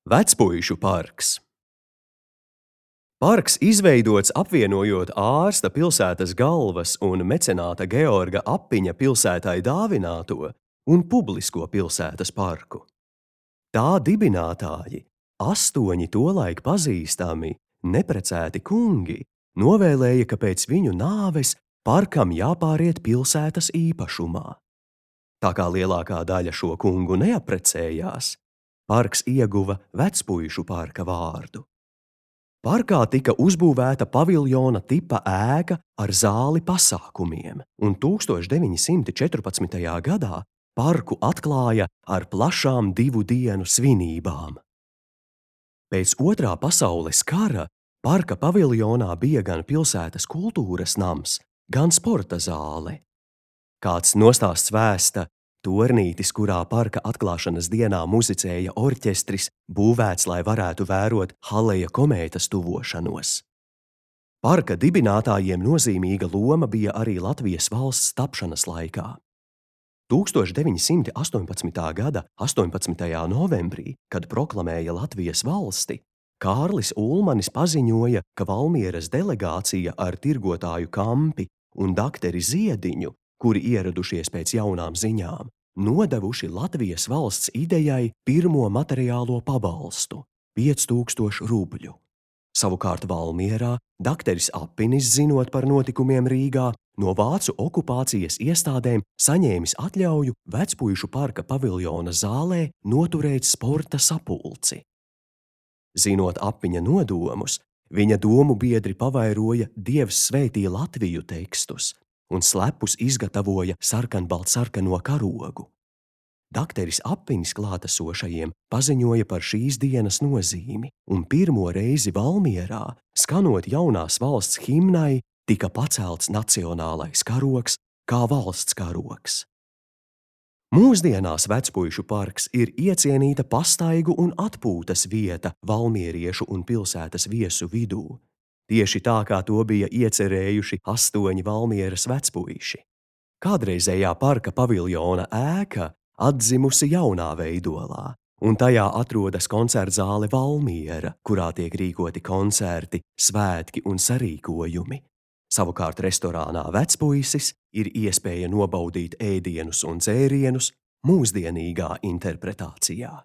Vecpuišu parks. Parks izveidots apvienojot ārsta pilsētas galvas un mecenāta Georga Appiņa pilsētai dāvināto un publisko pilsētas parku. Tā dibinātāji, 8 tolaik pazīstami, neprecēti kungi, novēlēja, ka pēc viņu nāves parkam jāpāriet pilsētas īpašumā. Tā kā lielākā daļa šo kungu neaprecējās, parks ieguva Vecpuišu parka vārdu. Parkā tika uzbūvēta paviljona tipa ēka ar zāli pasākumiem, un 1914. gadā parku atklāja ar plašām 2 dienu svinībām. Pēc Otrā pasaules kara parka paviljonā bija gan pilsētas kultūras nams, gan sporta zāle. Kāds nostāsts vēsta, tornītis, kurā parka atklāšanas dienā muzicēja orķestris, būvēts, lai varētu vērot Haleja komētas tuvošanos. Parka dibinātājiem nozīmīga loma bija arī Latvijas valsts tapšanas laikā. 1918. gada 18. novembrī, kad proklamēja Latvijas valsti, Kārlis Ulmanis paziņoja, ka Valmieras delegācija ar tirgotāju Kampi un dakteri Ziediņu, kuri ieradušies pēc jaunām ziņām, nodevuši Latvijas valsts idejai pirmo materiālo pabalstu – 5000 rubļu. Savukārt Valmierā dakteris Appinis, zinot par notikumiem Rīgā, no vācu okupācijas iestādēm saņēmis atļauju Vecpuišu parka paviljona zālē noturēt sporta sapulci. Zinot Appiņa nodomus, viņa domu biedri pavairoja Dievs svētī Latviju tekstus un slepus izgatavoja sarkanbaltsarkano karogu. Dakteris Appinis klātesošajiem paziņoja par šīs dienas nozīmi, un pirmo reizi Valmierā, skanot jaunās valsts himnai, tika pacelts nacionālais karogs kā valsts karogs. Mūsdienās Vecpuišu parks ir iecienīta pastaigu un atpūtas vieta valmieriešu un pilsētas viesu vidū. Tieši tā, kā to bija iecerējuši 8 Valmieras vecpuiši. Kādreizējā parka paviljona ēka atdzimusi jaunā veidolā, un tajā atrodas koncertzāle Valmiera, kurā tiek rīkoti koncerti, svētki un sarīkojumi. Savukārt restorānā Vecpuisis ir iespēja nobaudīt ēdienus un dzērienus mūsdienīgā interpretācijā.